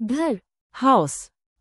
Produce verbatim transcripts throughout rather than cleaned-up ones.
घर, Haus,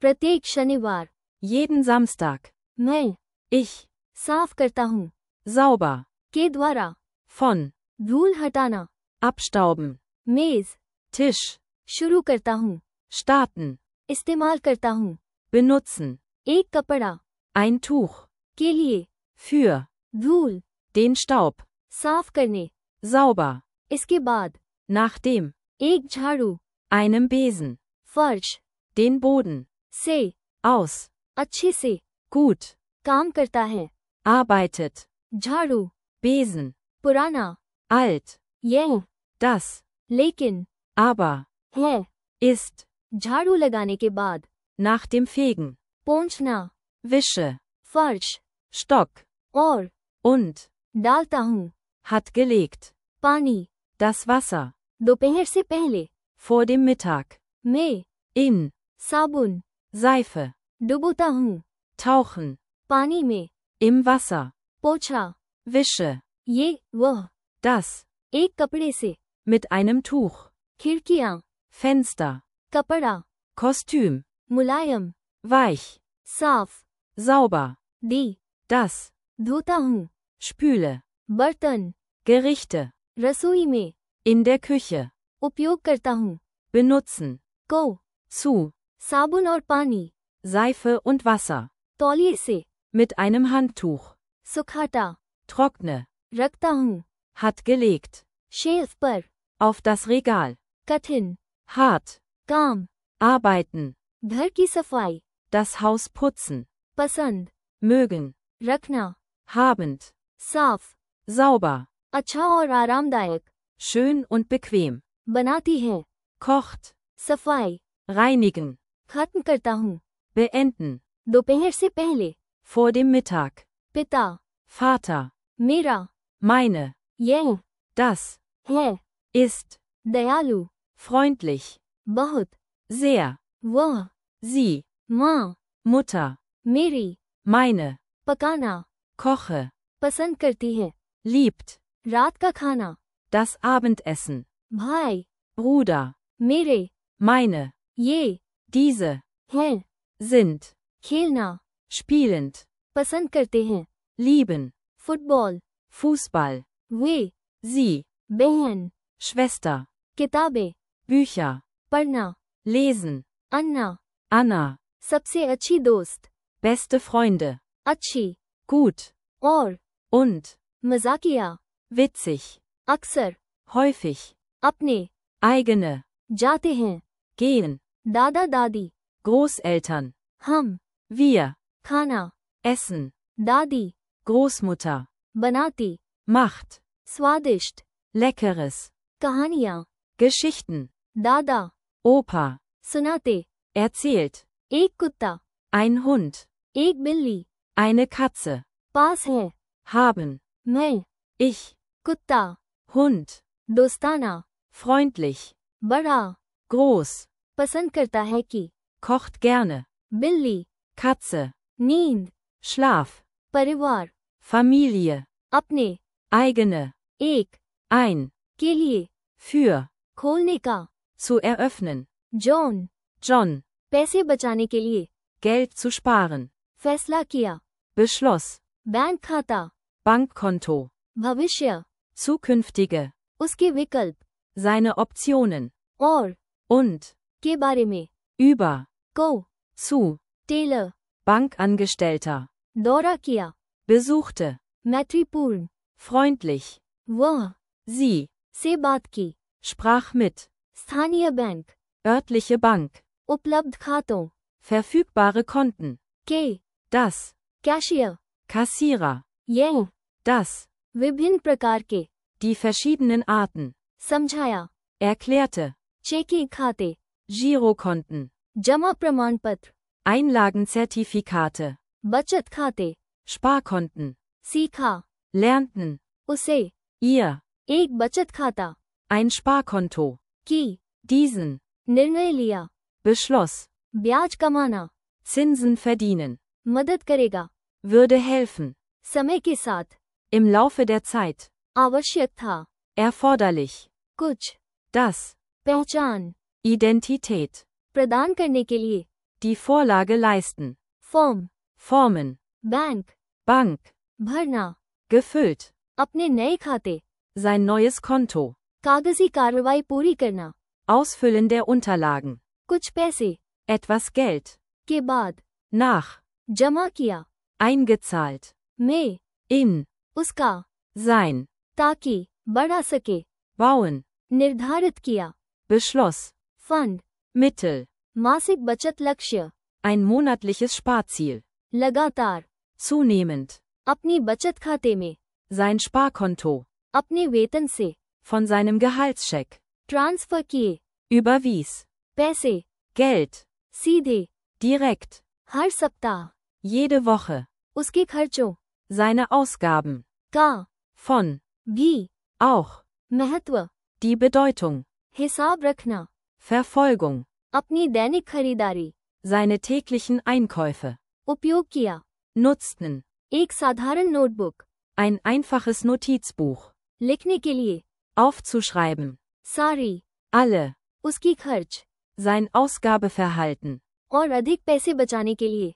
प्रत्येक शनिवार, jeden Samstag, मैं, ich, साफ करता हूँ, sauber, के द्वारा, von, धूल हटाना, abstauben, मेज, Tisch, शुरू करता हूँ, starten, इस्तेमाल करता हूँ, benutzen, एक कपड़ा, ein Tuch, के लिए, für, धूल, den Staub, साफ करने, sauber, इसके बाद, nachdem, एक झाड़ू, einem Besen, फर्श, den Boden, से, aus, अच्छे से, gut, काम करता है, arbeitet, झाड़ू, Besen, पुराना, alt, यह, das, लेकिन, aber, है, ist, झाड़ू लगाने के बाद, nach dem Fegen, पोंछना, wische, फर्श, Stock, और, und, डालता हूँ, hat gelegt, पानी, das Wasser, दोपहर से पहले, vor dem Mittag, मैं, in, साबुन, Seife, डुबोता हूँ, tauchen, पानी में, im Wasser, पोछा, wische, ये, वह, das, एक कपड़े से, mit einem Tuch, खिड़कियाँ, Fenster, कपड़ा, Kostüm, मुलायम, weich, साफ, sauber, दी, das, धोता हूँ, spüle, बर्तन, Gerichte, रसोई में, in der Küche, उपयोग करता हूँ, benutzen, को, zu, साबुन और पानी, Seife und Wasser, तौलिए से, mit einem Handtuch, सुखाता, trockne, रखता हूँ, hat gelegt, शेल्फ पर, auf das Regal, कठिन, hart, काम, arbeiten, घर की सफाई, das Haus putzen, पसंद, mögen, रखना, habend, साफ, sauber, अच्छा और आरामदायक, schön und bequem, बनाती है, kocht, सफाई, reinigen, खत्म करता हूँ, beenden, दोपहर से पहले, vor dem Mittag, पिता, Vater, मेरा, meine, यह, das, है, ist, दयालु, freundlich, बहुत, sehr, वह, sie, माँ, Mutter, मेरी, meine, पकाना, koche, पसंद करती है, liebt, रात का खाना, das Abendessen, भाई, Bruder, मेरे, meine, ये, diese, हैं, sind, खेलना, spielend, पसंद करते हैं, lieben, फुटबॉल, Fußball, वे, sie, बहन, Schwester, किताबें, Bücher, पढ़ना, lesen, अन्ना, Anna, सबसे अच्छी दोस्त, beste Freunde, अच्छी, gut, और, und, मजाकिया, witzig, अक्सर, häufig, अपने, eigene, जाते हैं, gehen, दादा दादी, Großeltern, हम, wir, खाना, essen, दादी, Großmutter, बनाती, macht, स्वादिष्ट, leckeres, कहानियाँ, Geschichten, दादा, Opa, सुनाते, erzählt, एक कुत्ता, ein Hund, एक बिल्ली, eine Katze, पास है, haben, मैं, ich, कुत्ता, Hund, दोस्ताना, freundlich, बड़ा, groß, पसंद करता है कि, kocht gerne, बिल्ली, Katze, नींद, Schlaf, परिवार, Familie, अपने, eigene, एक, ein, के लिए, für, खोलने का, zu eröffnen, जॉन, John, पैसे बचाने के लिए, Geld zu sparen, फैसला किया, beschloss, बैंक खाता, Bankkonto, भविष्य, zukünftige, उसके विकल्प, seine Optionen, और, und, के बारे में, über, को, zu, टेलर, Bankangestellter, दौरा किया, besuchte, मैत्रीपूर्ण, freundlich, वह, sie, से बात की, sprach mit, स्थानीय बैंक, örtliche Bank, उपलब्ध खातों, verfügbare Konten, के, das, कैशियर, Kassierer, यह, das, विभिन्न प्रकार के, die verschiedenen Arten, समझाया, erklärte, चेकिंग खाते, Girokonten, जमा प्रमाण पत्र, Einlagenzertifikate, बचत खाते, Sparkonten, सीखा, lernten, उसे, ihr, एक बचत खाता, ein Sparkonto, की, diesen, निर्णय लिया, beschloss, ब्याज कमाना, Zinsen verdienen, मदद करेगा, würde helfen, समय के साथ, im Laufe der Zeit, आवश्यक था, erforderlich, कुछ, das, पहचान, Identität, प्रदान करने के लिए, Die Vorlage leisten. Form, Formen. Bank, Bank. भरना, Gefüllt. अपने नए खाते, Sein neues Konto. कागजी कार्रवाई पूरी करना, Ausfüllen der Unterlagen. कुछ पैसे, Etwas Geld. के बाद, Nach. जमा किया, Eingezahlt. में, In. उसका, Sein. ताकि, बढ़ा सके, Bauen. निर्धारित किया, Beschloss. Fund, Mittel. मासिक बचत लक्ष्य, Ein monatliches Sparziel. लगातार, Zunehmend. अपनी बचत खाते में, Sein Sparkonto. अपने वेतन से, Von seinem Gehaltscheck. ट्रांसफर किए, Überwies. पैसे, Geld. सीधे, Direkt. हर सप्ताह, Jede Woche. उसके खर्चों, Seine Ausgaben. का, Von. भी, Auch. महत्व, Die Bedeutung. हिसाब रखना, Verfolgung. अपनी दैनिक खरीदारी, Seine täglichen Einkäufe. उपयोग किया, Nutzten. एक साधारण नोटबुक, Ein einfaches Notizbuch. लिखने के लिए, Aufzuschreiben. सारी, Alle. उसकी खर्च, Sein Ausgabeverhalten. और अधिक पैसे बचाने के लिए,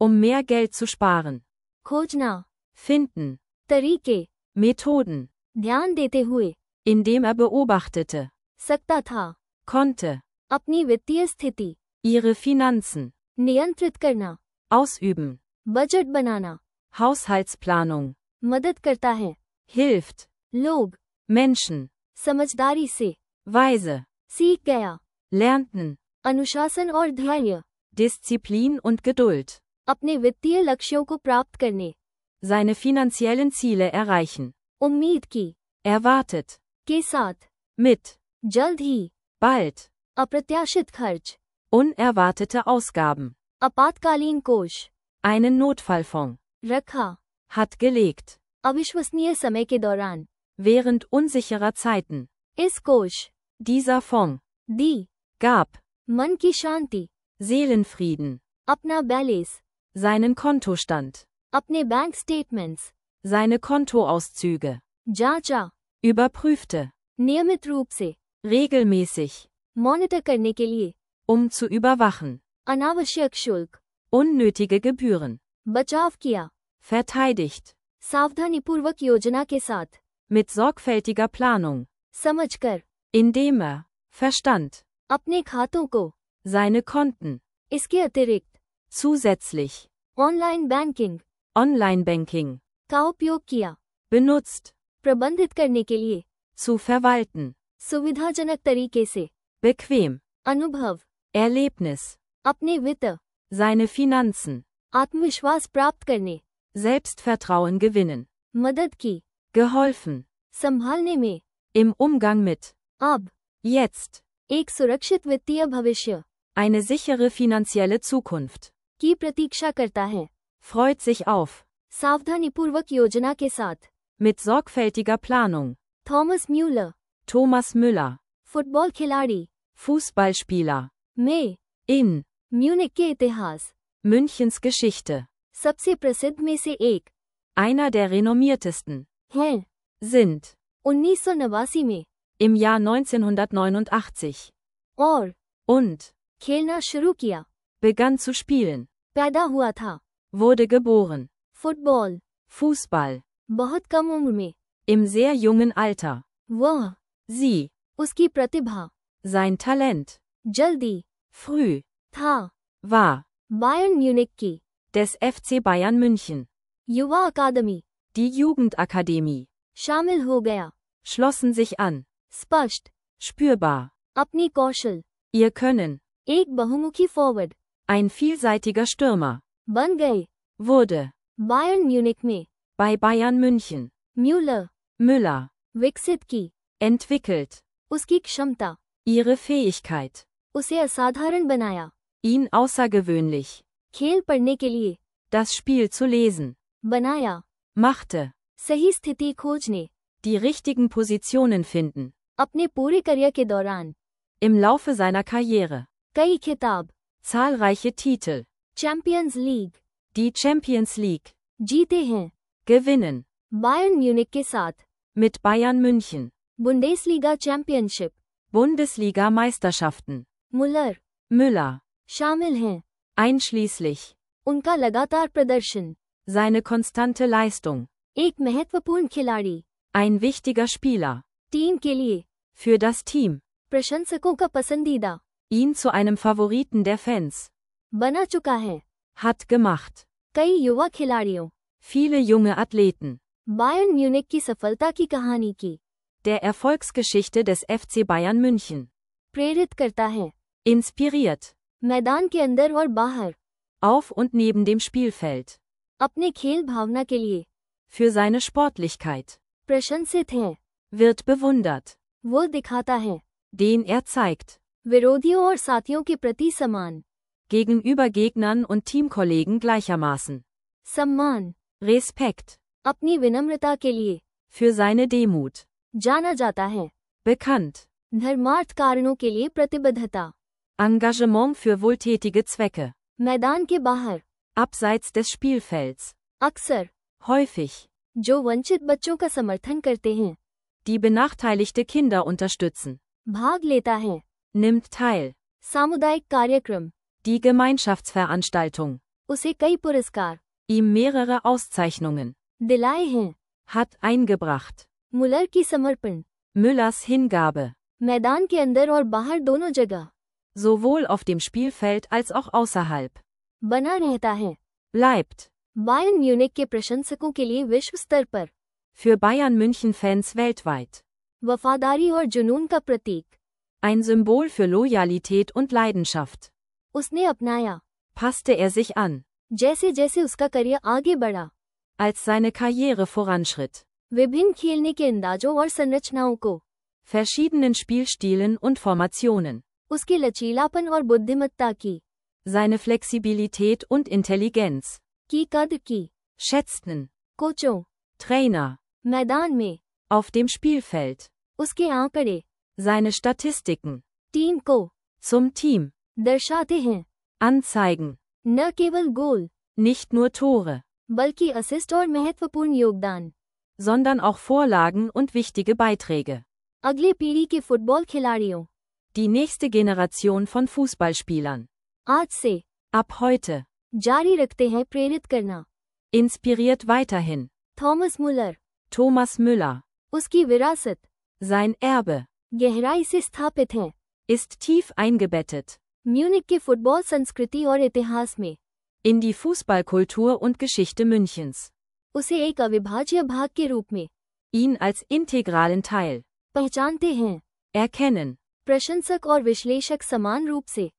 Um mehr Geld zu sparen. खोजना, Finden. तरीके, Methoden. ध्यान देते हुए, Indem er beobachtete. सकता था, Konnte. अपनी वित्तीय स्थिति, Ihre Finanzen. नियंत्रित करना, Ausüben. बजट बनाना, Haushaltsplanung. मदद करता है, Hilft. लोग, Menschen. समझदारी से, Weise. सीख गया, Lernten. अनुशासन और धैर्य, Disziplin und Geduld. अपने वित्तीय लक्ष्यों को प्राप्त करने, Seine finanziellen Ziele erreichen. उम्मीद की, Erwartet. के साथ, Mit. जल्द ही, Bald. अप्रत्याशित खर्च, Unerwartete Ausgaben. आपातकालीन कोष, Einen Notfallfonds. रखा, Hat gelegt. अविश्वसनीय समय के दौरान, Während unsicherer Zeiten. इस कोष, Dieser Fonds. दी, Gab. मन की शांति, Seelenfrieden. अपना बैलेंस, Seinen Kontostand. अपने बैंक स्टेटमेंट्स, Seine Kontoauszüge. जांचा, Überprüfte. नियमित रूप से, Regelmäßig. मॉनिटर करने के लिए, Um zu überwachen. अनावश्यक शुल्क, Unnötige Gebühren. बचाव किया, Verteidigt. सावधानीपूर्वक योजना के साथ, Mit sorgfältiger Planung. समझकर, Indem er. Verstand. अपने खातों को, Seine Konten. इसके अतिरिक्त, Zusätzlich. Online banking, Online-Banking. का उपयोग किया, Benutzt. प्रबंधित करने के लिए, Zu verwalten. सुविधाजनक तरीके से, Bequem. अनुभव, Erlebnis. अपने वित्त, Seine Finanzen. आत्मविश्वास प्राप्त करने, Selbstvertrauen gewinnen. मदद की, Geholfen. संभालने में, Im Umgang mit. अब, Jetzt. एक सुरक्षित वित्तीय भविष्य, Eine sichere finanzielle Zukunft. की प्रतीक्षा करता है, Freut sich auf. सावधानीपूर्वक योजना के साथ, Mit sorgfältiger Planung. Thomas Muller, Thomas Müller. फुटबॉल खिलाड़ी, Fußballspieler. में, In. म्यूनिक के इतिहास, Münchens Geschichte. सबसे प्रसिद्ध में से एक, Einer der renommiertesten. हैं, Sind. उन्नीस सौ नवासी में, Im Jahr neunzehnhundertneunundachtzig. और, Und. खेलना शुरू किया, Begann zu spielen. पैदा हुआ था, Wurde geboren. Football, Fußball. बहुत कम उम्र में, Im sehr jungen Alter. वह, Sie. उसकी प्रतिभा, Sein Talent. जल्दी, Früh. था, War. बायर्न म्यूनिक की, Des F C Bayern München. युवा अकादमी, Die Jugendakademie. शामिल हो गया, Schlossen sich an. स्पष्ट, Spürbar. अपनी कौशल, Ihr Können. एक बहुमुखी फॉरवर्ड, Ein vielseitiger Stürmer. बन गए, Wurde. बायर्न म्यूनिक में, Bei Bayern München. Muller, Müller. विकसित की, Entwickelt. उसकी क्षमता, Ihre Fähigkeit. उसे असाधारण बनाया, Ihn außergewöhnlich. खेल पढ़ने के लिए, Das Spiel zu lesen. बनाया, Machte. सही स्थिति खोजने, Die richtigen Positionen finden. अपने पूरे करियर के दौरान, Im Laufe seiner Karriere. कई खिताब, Zahlreiche Titel. Champions league, Die Champions League. जीते हैं, Gewinnen. बायर्न म्यूनिक के साथ, Mit Bayern München. Bundesliga championship, Bundesliga-Meisterschaften. मुलर, Müller. शामिल हैं। Einschließlich. उनका लगातार प्रदर्शन। Seine konstante Leistung. एक महत्वपूर्ण खिलाड़ी। Ein wichtiger Spieler. टीम के लिए। Für das Team. प्रशंसकों का पसंदीदा। Ihn zu einem Favoriten der Fans. बना चुका है। Hat gemacht. कई युवा खिलाड़ियों। Viele junge Athleten. Bayern Munich की सफलता की कहानी की। Der Erfolgsgeschichte des F C Bayern München. प्रेरित करता है। Inspiriert. मैदान के अंदर और बाहर। Auf und neben dem Spielfeld. अपने खेल भावना के लिए। Für seine Sportlichkeit. प्रशंसित है। Wird bewundert. वो दिखाता है। Den er zeigt. विरोधियों और साथियों के प्रति सम्मान। Gegenüber Gegnern und Teamkollegen gleichermaßen. सम्मान। Respekt. अपनी विनम्रता के लिए। Für seine Demut. जाना जाता है। Bekannt. धर्मार्थ कारणों के लिए प्रतिबद्धता। Engagement für wohltätige Zwecke. मैदान के बाहर। Abseits des Spielfelds. अक्सर। Häufig. जो वंचित बच्चों का समर्थन करते हैं। Die benachteiligte Kinder unterstützen. भाग लेता है। Nimmt teil. सामुदायिक कार्यक्रम। Die Gemeinschaftsveranstaltung. उसे कई पुरस्कार। Ihm mehrere Auszeichnungen. दिलाए हैं। Hat eingebracht. मुलर की समर्पण। Müllers Hingabe. मैदान के अंदर और बाहर दोनों जगह। Sowohl auf dem Spielfeld als auch außerhalb. बना रहता है। Bleibt. बायर्न म्यूनिख के प्रशंसकों के लिए विश्व स्तर पर। Für Bayern München Fans weltweit. वफादारी और जुनून का प्रतीक। Ein Symbol für Loyalität und Leidenschaft. उसने अपनाया। Passte er sich an. जैसे जैसे उसका करियर आगे बढ़ा। Als seine Karriere voranschritt. विभिन्न खेलने के अंदाजों और संरचनाओं को। Verschiedenen Spielstilen und Formationen. उसके लचीलापन और बुद्धिमत्ता की। Seine Flexibilität und Intelligenz. की कद की। Schätzten. कोचों। Trainer. मैदान में। Auf dem Spielfeld. उसके आंकड़े। Seine Statistiken. टीम को। Zum Team. दर्शाते हैं। Anzeigen. न केवल गोल। Nicht nur Tore. बल्कि असिस्ट और महत्वपूर्ण योगदान। Sondern auch Vorlagen und wichtige Beiträge. अगली पीढ़ी के फुटबॉल खिलाड़ियों। Die nächste Generation von Fußballspielern. आज से। Ab heute. जारी रखते हैं प्रेरित करना। Inspiriert weiterhin. थॉमस मुलर। Thomas Müller. उसकी विरासत। Sein Erbe. गहराई से स्थापित है। Ist tief eingebettet. म्यूनिख के फुटबॉल संस्कृति और इतिहास में। In die Fußballkultur und Geschichte Münchens. उसे एक अविभाज्य भाग के रूप में। Ihn als integralen Teil. पहचानते हैं। Erkennen. प्रशंसक और विश्लेषक समान रूप से।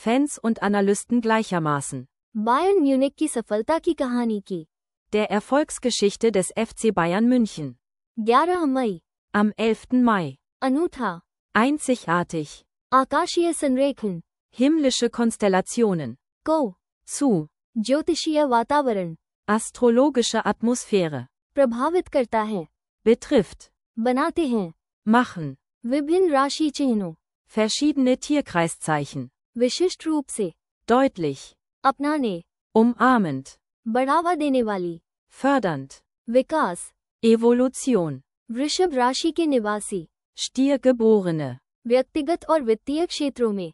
Fans und Analysten gleichermaßen. Bayern Munich की सफलता की कहानी की। Der Erfolgsgeschichte des F C Bayern München. ग्यारह मई। Am elften Mai. अनूठा। Einzigartig. आकाशीय संरेखन। Himmlische Konstellationen. को। Zu. ज्योतिषीय वातावरण। Astrologische Atmosphäre. प्रभावित करता है। Betrifft. बनाते हैं। Machen. विभिन्न राशि चिन्हों। Verschiedene Tierkreiszeichen. विशिष्ट रूप से। Deutlich. अपनाने। Umarmend. बढ़ावा देने वाली। Fördernd. विकास। Evolution. वृषभ राशि के निवासी। Stiergeborene. व्यक्तिगत और वित्तीय क्षेत्रों में।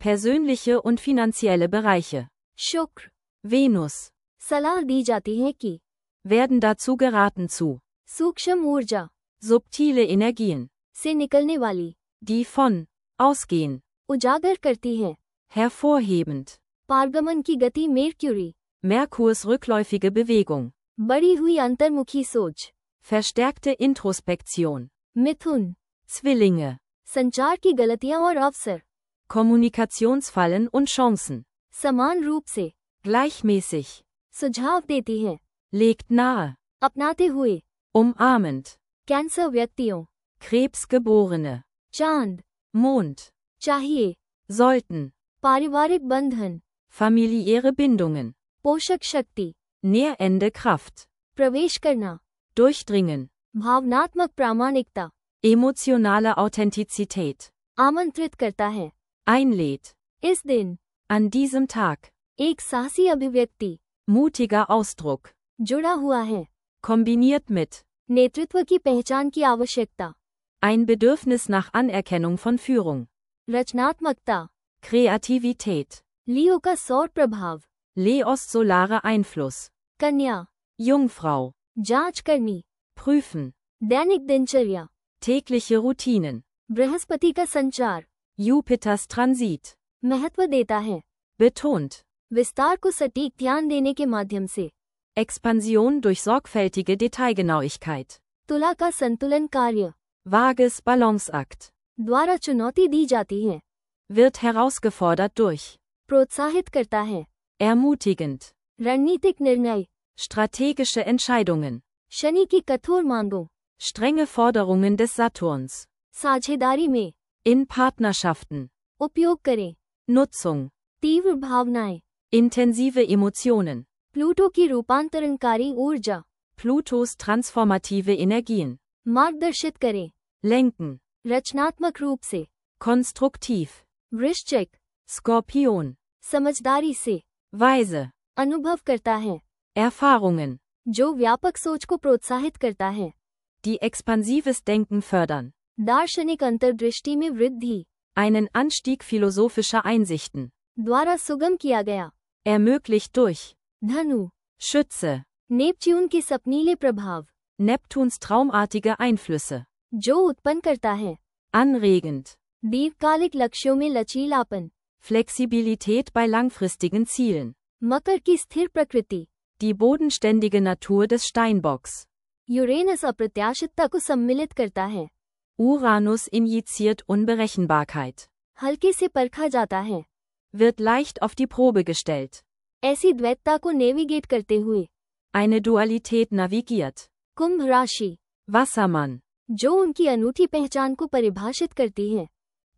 Persönliche und finanzielle Bereiche. शुक्र। Venus. सलाह दी जाती है कि। Werden dazu geraten zu. सूक्ष्म ऊर्जा। Subtile Energien. से निकलने वाली। Die von. Ausgehen. उजागर करती है। Hervorhebend. पारगमन की गति मेर्क्यूरी। Merkurs rückläufige Bewegung. बढ़ी हुई अंतर्मुखी सोच। Verstärkte Introspektion. मिथुन। Zwillinge. संचार की गलतियां और अवसर। Kommunikationsfallen und Chancen. समान रूप से। Gleichmäßig. सुझाव देती है। Legt nahe. अपनाते हुए। Umarmend. कैंसर व्यक्तियों। Krebsgeborene. चांद। Mond. चाहिए। Sollten. पारिवारिक बंधन। Familiäre Bindungen. पोषक शक्ति। Nährende Kraft. प्रवेश करना। Durchdringen. भावनात्मक प्रामाणिकता। Emotionale Authentizität. आमंत्रित करता है। Einlädt. इस दिन। An diesem Tag. एक साहसी अभिव्यक्ति। Mutiger Ausdruck. जुड़ा हुआ है। Kombiniert mit. नेतृत्व की पहचान की आवश्यकता। Ein Bedürfnis nach Anerkennung von Führung. रचनात्मकता। Kreativität. लियो का सौर प्रभाव। Leos solare Einfluss. कन्या, Jungfrau. जांच करनी। Prüfen. दैनिक दिनचर्या। Tägliche Routinen. बृहस्पति का संचार Jupiters Transit. महत्व देता है। Betont. विस्तार को सटीक ध्यान देने के माध्यम से। Expansion durch sorgfältige Detailgenauigkeit. तुला का संतुलन कार्य Vages Balanceakt. द्वारा चुनौती दी जाती है। Wird herausgefordert durch. प्रोत्साहित करता है। Ermutigend. रणनीतिक निर्णय। Strategische Entscheidungen. शनि की कठोर मांगों। Strenge Forderungen des Saturns. साझेदारी में In Partnerschaften. उपयोग करें। Nutzung. तीव्र भावनाएं। Intensive Emotionen. प्लूटो की रूपांतरणकारी ऊर्जा Plutos transformative Energien. मार्गदर्शित करें। Lenken. रचनात्मक रूप से। Konstruktiv. वृश्चिक Skorpion. समझदारी से। Weise. अनुभव करता है Erfahrungen. जो व्यापक सोच को प्रोत्साहित करता है। Die expansives Denken fördern. दार्शनिक अंतर्दृष्टि में वृद्धि Einen Anstieg philosophischer Einsichten. द्वारा सुगम किया गया। Ermöglicht durch. धनु Schütze. नेपच्यून के सपनीले प्रभाव Neptuns traumartige Einflüsse. जो उत्पन्न करता है। Anregend. दीर्घकालिक लक्ष्यों में लचीलापन। Flexibilität bei langfristigen Zielen. मकर की स्थिर प्रकृति। Die bodenständige Natur des Steinbocks. Uranus अप्रत्याशितता को सम्मिलित करता है। Uranus injiziert Unberechenbarkeit. हल्के से परखा जाता है। Wird leicht auf die Probe gestellt. ऐसी द्वैतता को नेविगेट करते हुए। Eine Dualität navigiert. कुंभ राशि Wassermann. जो उनकी अनूठी पहचान को परिभाषित करती है।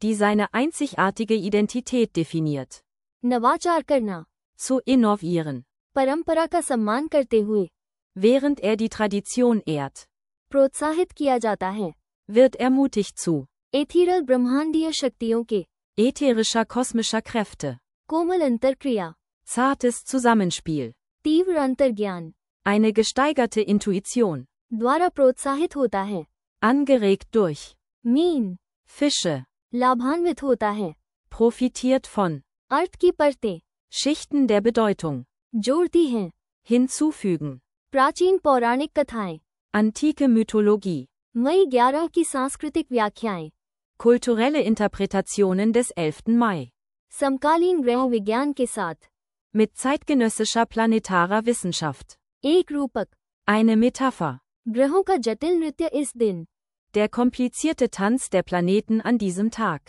Die seine einzigartige Identität definiert. नवाचार करना Zu innovieren. परंपरा का सम्मान करते हुए। Während er die Tradition ehrt. प्रोत्साहित किया जाता है। Wird ermutigt zu. एथीरल ब्रह्मांडीय शक्तियों के Ätherischer kosmischer Kräfte. कोमल अंतर्क्रिया Zartes Zusammenspiel. तीव्र अंतर्ज्ञान Eine gesteigerte Intuition. द्वारा प्रोत्साहित होता है। Angeregt durch. Mean Fische. लाभान्वित होता है। Profitiert von. अर्थ की परतें Schichten der Bedeutung. जोड़ती हैं। Hinzufügen. प्राचीन पौराणिक कथाएं Antike Mythologie. मई ग्यारह की सांस्कृतिक व्याख्याएं Kulturelle Interpretationen des elften Mai. समकालीन ग्रह विज्ञान के साथ Mit zeitgenössischer planetarer Wissenschaft. एक रूपक Eine Metapher. ग्रहों का जटिल नृत्य इस दिन Der komplizierte Tanz der Planeten an diesem Tag.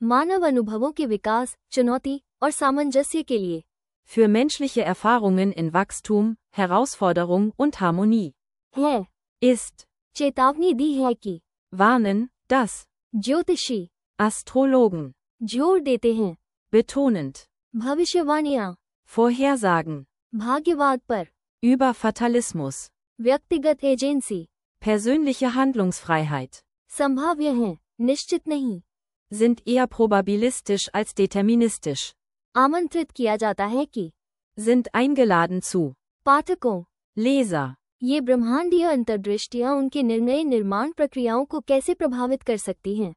मानव अनुभवों के विकास, चुनौती और सामंजस्य के लिए Für menschliche Erfahrungen in Wachstum, Herausforderung und Harmonie. है। Ist. चेतावनी दी है कि Warnen, dass. ज्योतिषी Astrologen. जोर देते हैं Betonend. भविष्यवाणियां Vorhersagen. भाग्यवाद पर Über Fatalismus. व्यक्तिगत एजेंसी Persönliche Handlungsfreiheit. संभाव्य हैं, निश्चित नहीं। Sind eher probabilistisch als deterministisch. आमंत्रित किया जाता है कि Sind eingeladen zu. पाठकों Leser. ये ब्रह्मांडीय अंतर्दृष्टियां उनके निर्णय निर्माण प्रक्रियाओं को कैसे प्रभावित कर सकती हैं।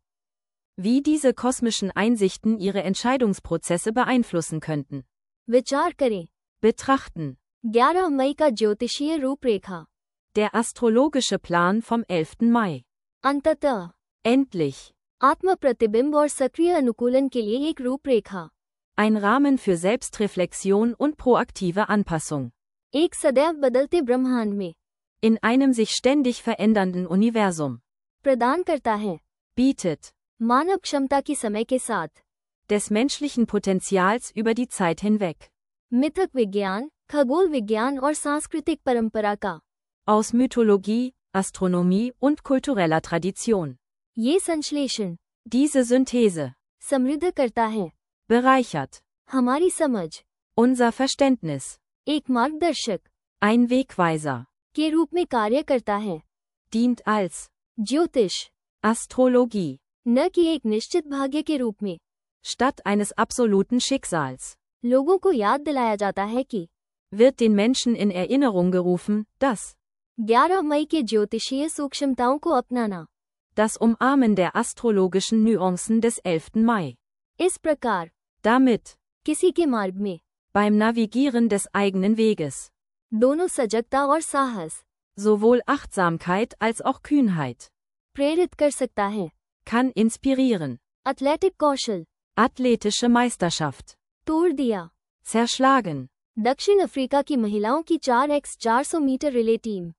Wie diese kosmischen Einsichten ihre Entscheidungsprozesse beeinflussen könnten. विचार करें। Betrachten. ग्यारह मई का ज्योतिषीय रूपरेखा Der astrologische Plan vom elften Mai. अंततः Endlich. आत्म प्रतिबिंब और सक्रिय अनुकूलन के लिए एक रूपरेखा Ein Rahmen für Selbstreflexion und proaktive Anpassung. एक सदैव बदलते ब्रह्मांड में In einem sich ständig verändernden Universum. प्रदान करता है। Bietet. मानव क्षमता की समय के साथ Des menschlichen Potenzials über die Zeit hinweg. मिथक विज्ञान, खगोल विज्ञान और सांस्कृतिक परंपरा का Aus Mythologie, Astronomie und kultureller Tradition. ये संश्लेषण Diese Synthese. समृद्ध करता है Bereichert. हमारी समझ Unser Verständnis. एक मार्गदर्शक Ein Wegweiser. के रूप में कार्य करता है। Dient als. ज्योतिष Astrologie. न कि एक निश्चित भाग्य के रूप में Statt eines absoluten Schicksals. लोगों को याद दिलाया जाता है कि Wird den Menschen in Erinnerung gerufen, dass. ग्यारह मई के ज्योतिषीय सूक्ष्मताओं को अपनाना Das Umarmen der astrologischen Nuancen des elften Mai. इस प्रकार Damit. किसी के मार्ग में. Beim Navigieren des eigenen Weges. दोनों सजगता और साहस. Sowohl Achtsamkeit als auch Kühnheit. प्रेरित कर सकता है. Kann inspirieren. एथलेटिक कौशल. Athletische Meisterschaft. तोड़ दिया. Zerschlagen. दक्षिण अफ्रीका की महिलाओं की चार बाय चार सौ metre relay team.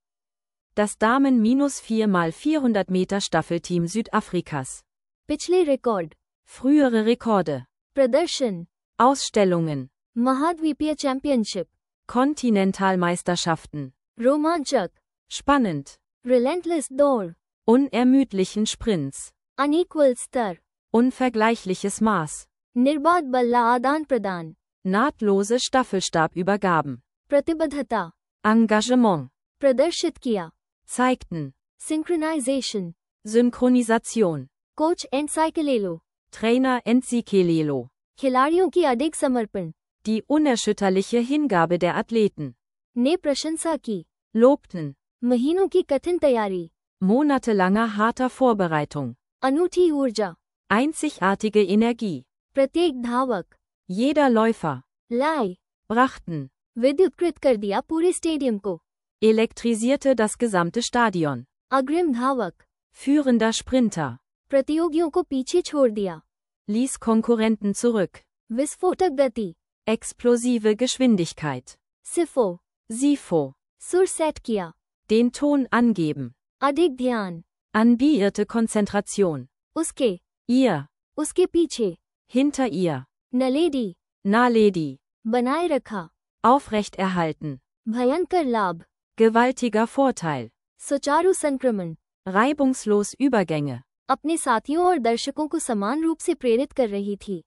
Das Damen-vier mal vierhundert Meter Staffelteam Südafrikas. पिछले रिकॉर्ड. Frühere Rekorde. प्रदर्शन. Ausstellungen. महाद्वीपीय चैंपियनशिप. Kontinentalmeisterschaften. रोमांचक. Spannend. रिलेंटलेस दौड़. Unermüdlichen Sprints. अनइक्वल स्तर. Unvergleichliches Maß. निर्बाध बल्ला आदान प्रदान. Nahtlose Staffelstabübergaben. प्रतिबद्धता. Engagement. प्रदर्शित किया. Zeigten. सिंक्रोनाइजेशन. Synchronisation. कोच एनसाइकिलेलो. Trainer Entsikelelo. खिलाड़ियों की अधिक समर्पण. Die unerschütterliche Hingabe der Athleten. ने प्रशंसा की. Lobten. महीनों की कठिन तैयारी. Monatelanger harter Vorbereitung. अनूठी ऊर्जा. Einzigartige Energie. प्रत्येक धावक. Jeder Läufer. लाई. Brachten. विद्युतकृत कर दिया पूरे स्टेडियम को. Elektrisierte das gesamte Stadion. अग्रिम धावक. Führender Sprinter. प्रतियोगियों को पीछे छोड़ दिया. Ließ Konkurrenten zurück. विस्फोटक गति. Explosive Geschwindigkeit. सिफो. Sifo. सुर सेट किया. Den Ton angeben. अधिक ध्यान. Anbierte Konzentration. उसके. Ihr. उसके पीछे. Hinter ihr. नलेडी. Naledi. बनाए रखा. Aufrechterhalten. भयंकर लाभ. Gewaltiger Vorteil. सुचारू संक्रमण. Reibungslos Übergänge. अपने साथियों और दर्शकों को समान रूप से प्रेरित कर रही थी.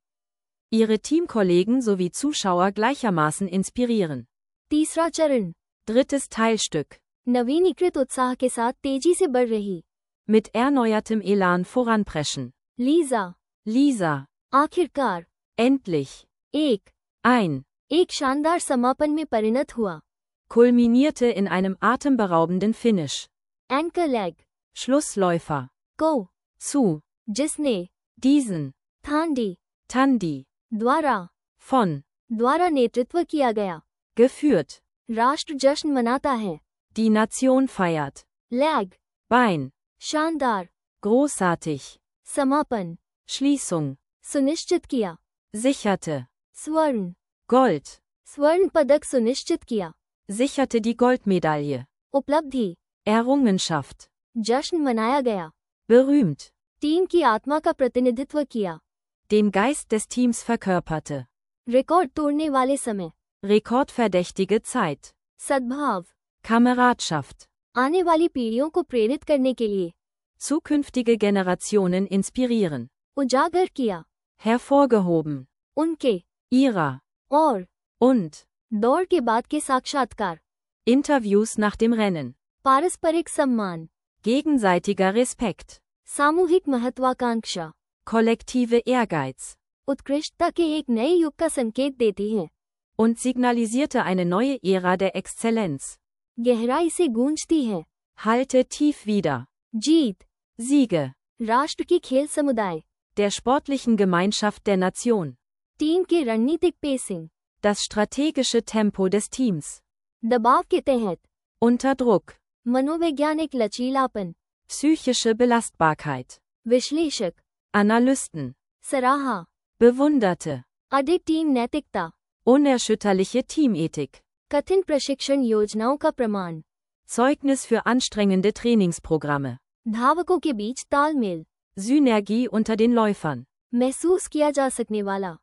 Ihre Teamkollegen sowie Zuschauer gleichermaßen inspirieren. तीसरा चरण. Drittes Teilstück. नवीनीकृत उत्साह के साथ तेजी से बढ़ रही. Mit erneuertem Elan voranpreschen. Lisa. Lisa. आखिरकार. Endlich. एक. Ein. एक शानदार समापन में परिणत हुआ. Kulminierte in einem atemberaubenden Finish. Anchor leg. Schlussläufer. को. Zu. जिसने. Diesen. थांडी. Tandi. द्वारा. Von. द्वारा नेतृत्व किया गया. Geführt. राष्ट्र जश्न मनाता है. Die Nation feiert. Lag. Bein. शानदार. Großartig. समापन. Schließung. सुनिश्चित किया. Sicherte. स्वर्ण. Gold. स्वर्ण पदक सुनिश्चित किया. Sicherte die Goldmedaille. उपलब्धि. Errungenschaft. जश्न मनाया गया. Berühmt. टीम की आत्मा का प्रतिनिधित्व किया. Den Geist des Teams verkörperte. Record तोड़ने वाले समय. Rekordverdächtige Zeit. सद्भाव. Kameradschaft. आने वाली पीढ़ियों को प्रेरित करने के लिए. Zukünftige Generationen inspirieren. उजागर किया. Hervorgehoben. उनके. Ihrer. और. Und. दौड़ के बाद के साक्षात्कार. Interviews nach dem Rennen. पारस्परिक सम्मान. Gegenseitiger Respekt. सामूहिक महत्वाकांक्षा. Kollektive Ehrgeiz. उत्कृष्टता के एक नए युग का संकेत देती है. Und signalisierte eine neue Ära der Exzellenz. गहराई से गूंजती है. Halte tief wieder. जीत. Siege. राष्ट्र की खेल समुदाय. Der sportlichen Gemeinschaft der Nation. Team के रणनीतिक pacing. Das strategische Tempo des Teams. दबाव के तहत. Unter Druck. मनोवैज्ञानिक लचीलापन. Psychische Belastbarkeit. विश्लेषक. Analysten. सराहा. Bewunderte. अधिक टीम नैतिकता. Unerschütterliche Teamethik. कठिन प्रशिक्षण योजनाओं का प्रमाण. Zeugnis für anstrengende Trainingsprogramme. धावकों के बीच तालमेल. Synergie unter den Läufern. महसूस किया जा सकने वाला.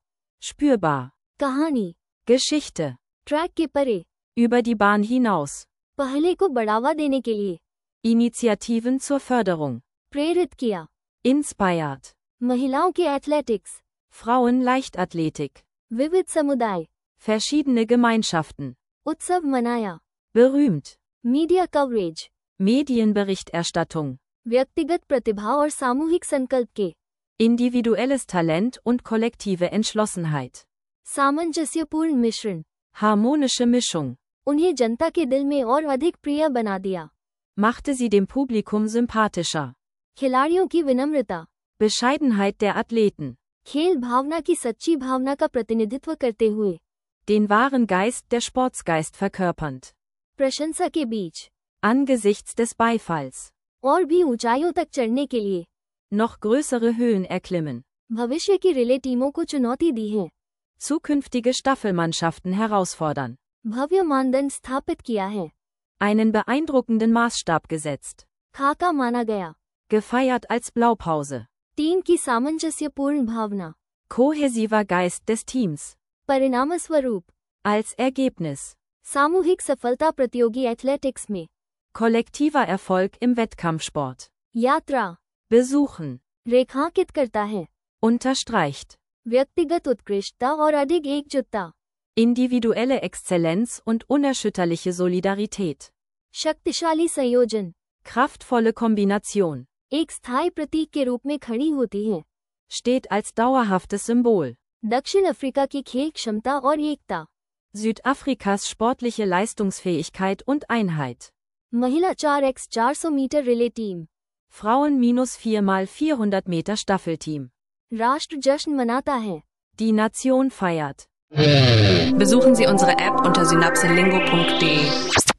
Spürbar. कहानी. Geschichte. ट्रैक के परे. Über die Bahn hinaus. पहले को बढ़ावा देने के लिए. Initiativen zur Förderung. प्रेरित किया. Inspired. महिलाओं के एथलेटिक्स. Frauen Leichtathletik. विविध समुदाय. Verschiedene Gemeinschaften. उत्सव मनाया. Berühmt. Media coverage. Medienberichterstattung. व्यक्तिगत प्रतिभा और सामूहिक संकल्प के. Individuelles Talent und kollektive Entschlossenheit. सामंजस्यपूर्ण मिश्रण. Harmonische Mischung. उन्हें जनता के दिल में और अधिक प्रिय बना दिया. Machte sie dem Publikum sympathischer. खिलाड़ियों की विनम्रता. Bescheidenheit der Athleten. खेल भावना की सच्ची भावना का प्रतिनिधित्व करते हुए, den wahren Geist der Sportsgeist verkörpernd, प्रशंसा के बीच, angesichts des Beifalls, और भी ऊंचाइयों तक चढ़ने के लिए, noch größere Höhen erklimmen, भविष्य की रिले टीमों को चुनौती दी है, zukünftige Staffelmannschaften herausfordern, भव्य मानदंड स्थापित किया है, einen beeindruckenden Maßstab gesetzt, खाका माना गया, gefeiert als Blaupause, टीम की सामंजस्यपूर्ण भावना, kohäsiver Geist des Teams, परिणामस्वरूप, als Ergebnis, सामूहिक सफलता प्रतियोगी एथलेटिक्स में, kollektiver Erfolg im Wettkampfsport, यात्रा, besuchen, रेखांकित करता है, unterstreicht, व्यक्तिगत उत्कृष्टता और अधिक एकजुटता, individuelle Exzellenz und unerschütterliche Solidarität, शक्तिशाली संयोजन, kraftvolle Kombination, एक स्थायी प्रतीक के रूप में खड़ी होती है, steht als dauerhaftes Symbol, दक्षिण अफ्रीका की खेल क्षमता और एकता, Südafrikas sportliche Leistungsfähigkeit und Einheit, महिला चार एक्स चार सौ metre relay team, Frauen minus vier mal vierhundert Meter Staffelteam, राष्ट्र जश्न मनाता है, die Nation feiert. Besuchen Sie unsere App unter synapselingo punkt de.